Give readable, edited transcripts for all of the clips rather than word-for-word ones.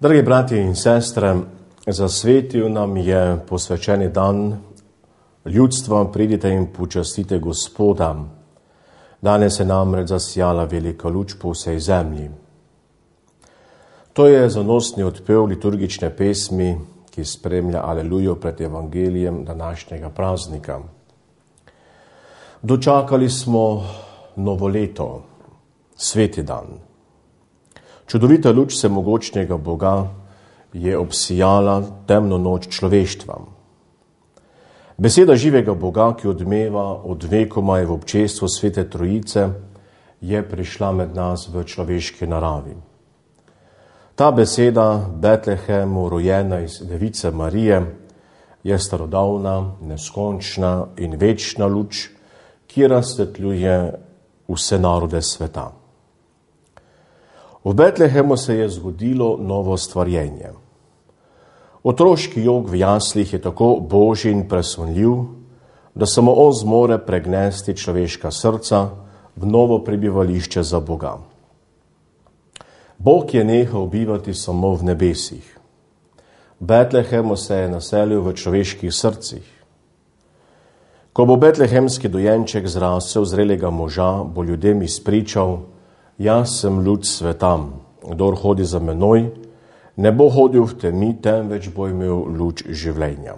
Dragi bratje in sestre, zasvetil nam je posvečeni dan ljudstva, pridite in počastite Gospoda. Danes je namreč zasijala velika luč po vsej zemlji. To je zanosni odpev liturgične pesmi, ki spremlja Alelujo pred evangelijem današnjega praznika. Dočakali smo novo leto, sveti dan. Čudovita luč vsemogočnega Boga je obsijala temno noč človeštva. Beseda živega Boga, ki odmeva od vekoma je v občestvu Svete Trojice, je prišla med nas v človeški naravi. Ta beseda, Betlehemu rojena iz Device Marije, je starodavna, neskončna in večna luč, ki razsvetljuje vse narode sveta. V Betlehemu se je zgodilo novo stvarjenje. Otroški jok v jaslih je tako božji in presunljiv, da samo on zmore pregnesti človeška srca v novo prebivališče za Boga. Bog je nehal bivati samo v nebesih. V Betlehemu se je naselil v človeških srcih. Ko bo betlehemski dojenček zrasel zrelega moža, bo ljudem izpričal: jaz sem luč sveta, kdor hodi za menoj, ne bo hodil v temi, temveč bo imel luč življenja.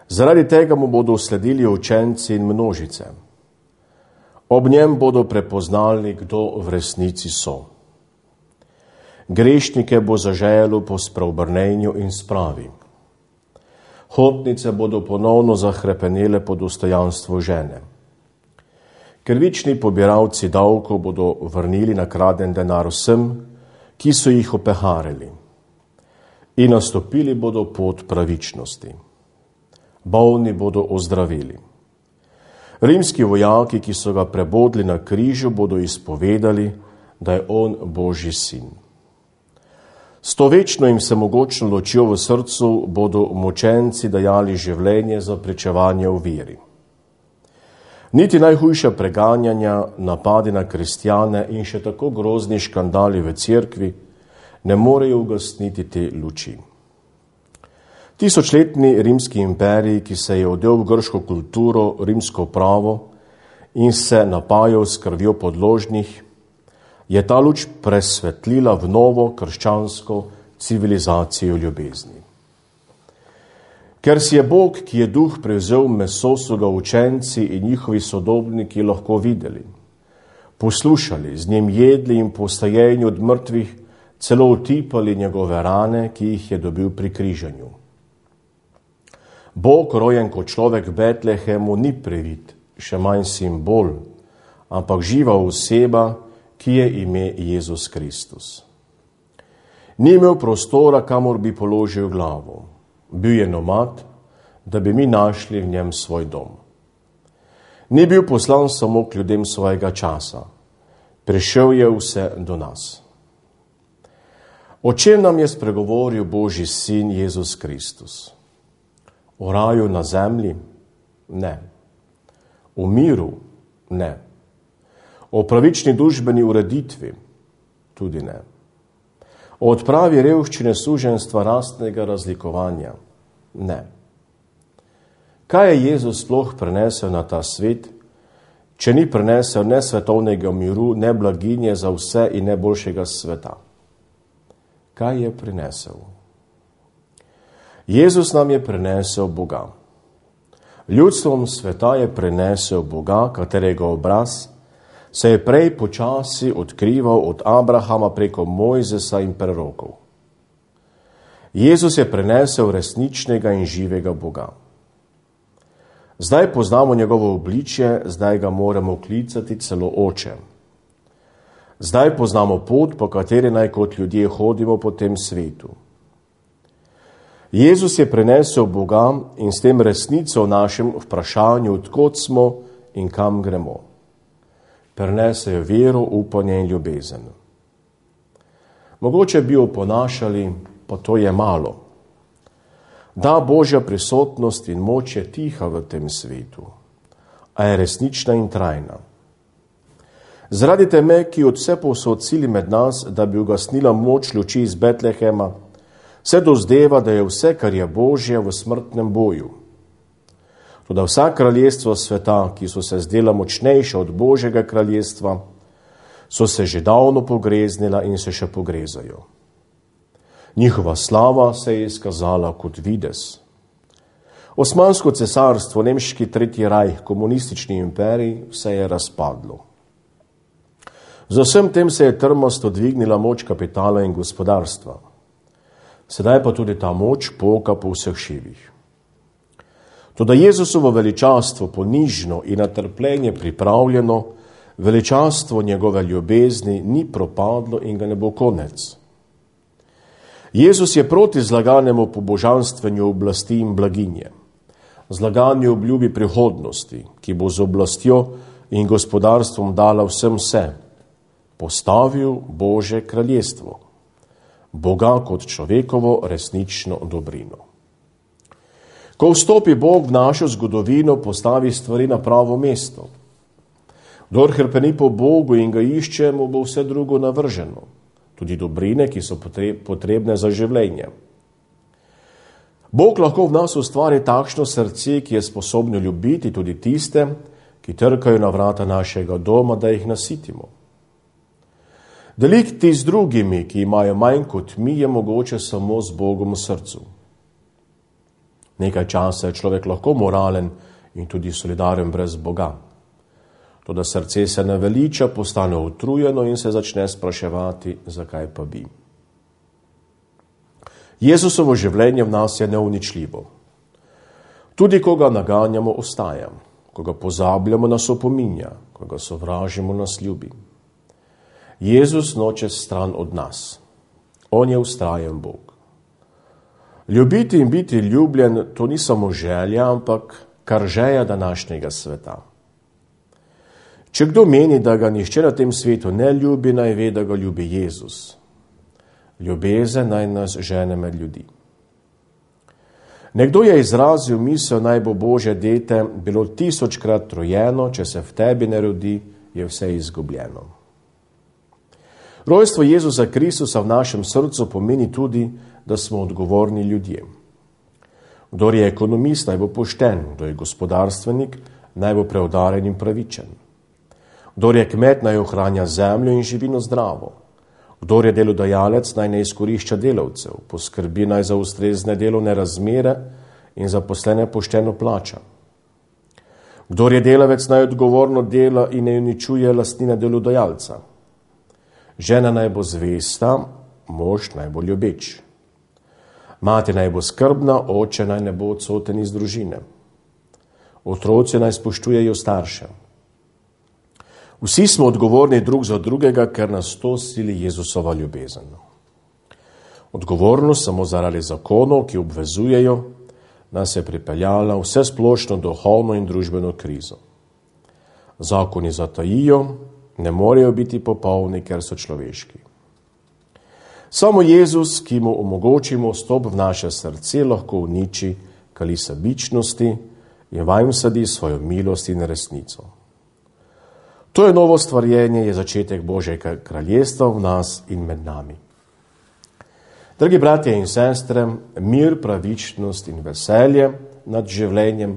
Zaradi tega mu bodo sledili učenci in množice. Ob njem bodo prepoznali, kdo v resnici so. Grešnike bo zaželo po spreobrnenju in spravi. Hotnice bodo ponovno zahrepenele po dostojanstvu žene. Krivični pobiralci davkov bodo vrnili nakraden denar vsem, ki so jih opeharili, in nastopili bodo pot pravičnosti. Bolni bodo ozdravili. Rimski vojaki, ki so ga prebodli na križu, bodo izpovedali, da je on Božji sin. S to večno in vsemogočno ločjo v srcu bodo mučenci dajali življenje za pričevanje v veri. Niti najhujša preganjanja, napadi na kristjane in še tako grozni škandali v cerkvi ne morejo ugasniti te luči. Tisočletni rimski imperij, ki se je odel v grško kulturo, rimsko pravo in se napajal s krvjo podložnih, je ta luč presvetlila v novo krščansko civilizacijo ljubezni. Ker si je Bog, ki je duh prevzel meso, so ga učenci in njihovi sodobniki lahko videli, poslušali, z njim jedli in po vstajenju od mrtvih celo utipali njegove rane, ki jih je dobil pri križanju. Bog, rojen kot človek v Betlehemu, ni previd, še manj simbol, ampak živa oseba, ki je ime Jezus Kristus. Ni imel prostora, kamor bi položil glavo. Bil je nomad, da bi mi našli v njem svoj dom. Ni bil poslan samo k ljudem svojega časa. Prišel je vse do nas. O čem nam je spregovoril Božji sin Jezus Kristus? O raju na zemlji? Ne. O miru? Ne. O pravični družbeni ureditvi? Tudi ne. O odpravi revščine, suženjstva, rastnega razlikovanja? Ne. Kaj je Jezus sploh prenesel na ta svet, če ni prenesel ne svetovnega miru, ne blaginje za vse in ne boljšega sveta? Kaj je prinesel? Jezus nam je prinesel Boga. Ljudstvom sveta je prinesel Boga, katerega obraz se je prej počasi odkrival od Abrahama preko Mojzesa in prerokov. Jezus je prinesel resničnega in živega Boga. Zdaj poznamo njegovo obličje, zdaj ga moramo klicati celo Oče. Zdaj poznamo pot, po kateri naj kot ljudje hodimo po tem svetu. Jezus je prinesel Boga in s tem resnico v našem vprašanju, odkot smo in kam gremo. Prinesejo vero, upanje in ljubezen. Mogoče bi oponašali, pa to je malo. Da, Božja prisotnost in moč je tiha v tem svetu, a je resnična in trajna. Zaradi teme, ki od vse povsod sili med nas, da bi ugasnila moč luči iz Betlehema, se dozdeva, da je vse, kar je Božje, v smrtnem boju. Toda vsa kraljestva sveta, ki so se zdela močnejša od Božjega kraljestva, so se že davno pogreznila in se še pogrezajo. Njihova slava se je izkazala kot videz. Osmansko cesarstvo, nemški tretji rajh, komunistični imperij, vse je razpadlo. Z vsem tem se je trmasto dvignila moč kapitala in gospodarstva. Sedaj pa tudi ta moč poka po vseh šivih. Toda Jezusovo veličastvo, ponižno in na trpljenje pripravljeno, veličastvo njegove ljubezni ni propadlo in ga ne bo konec. Jezus je proti zlaganemu pobožanstvenju oblasti in blaginje, zlaganju obljubi prihodnosti, ki bo z oblastjo in gospodarstvom dala vsem vse, postavil Božje kraljestvo, Boga kot človekovo resnično dobrino. Ko vstopi Bog v našo zgodovino, postavi stvari na pravo mesto. Kdor hrpeni po Bogu in ga išče, mu bo vse drugo navrženo, tudi dobrine, ki so potrebne za življenje. Bog lahko v nas ustvari takšno srce, ki je sposobno ljubiti tudi tiste, ki trkajo na vrata našega doma, da jih nasitimo. Deliti z drugimi, ki imajo manj kot mi, je mogoče samo z Bogom v srcu. Nekaj časa je človek lahko moralen in tudi solidaren brez Boga. Toda srce se naveliča, postane utrujeno in se začne spraševati, zakaj pa bi. Jezusovo življenje v nas je neuničljivo. Tudi ko ga naganjamo, ostaja. Ko ga pozabljamo, nas opominja. Ko ga sovražimo, nas ljubi. Jezus noče stran od nas. On je vztrajen Bog. Ljubiti in biti ljubljen, to ni samo želja, ampak kar žeja današnjega sveta. Če kdo meni, da ga nihče na tem svetu ne ljubi, naj ve, da ga ljubi Jezus. Ljubezen naj nas žene med ljudi. Nekdo je izrazil misel, naj bo Božje dete bilo 1000-krat rojeno, če se v tebi ne rodi, je vse izgubljeno. Rojstvo Jezusa Kristusa v našem srcu pomeni tudi, da smo odgovorni ljudje. Kdor je ekonomist, naj bo pošten, kdo je gospodarstvenik, naj bo preudaren in pravičen. Kdor je kmet, naj ohranja zemljo in živino zdravo. Kdor je delodajalec, naj ne izkorišča delavcev, poskrbi naj za ustrezne delovne razmere in zaposlene pošteno plača. Kdor je delavec, naj odgovorno dela in ne uničuje lastnine delodajalca. Žena naj bo zvesta, mož naj bo ljubeč. Mati naj bo skrbna, oče naj ne bo odsoten iz družine. Otroci naj spoštujejo starše. Vsi smo odgovorni drug za drugega, ker nas to sili Jezusova ljubezen. Odgovornost samo zaradi zakonov, ki obvezujejo, nas je pripeljala vse splošno duhovno in družbeno krizo. Zakoni zatajijo, ne morejo biti popolni, ker so človeški. Samo Jezus, ki mu omogočimo vstop v naše srce, lahko uniči kali sebičnosti in vanj vsadi svojo milost in resnico. To je novo stvarjenje, je začetek Božjega kraljestva v nas in med nami. Dragi bratje in sestre, mir, pravičnost in veselje nad življenjem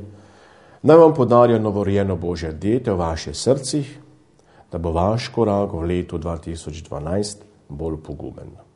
naj vam podarijo novorojeno Božje dete v vaših srcih, da bo vaš korak v letu 2012 bolj pogumen.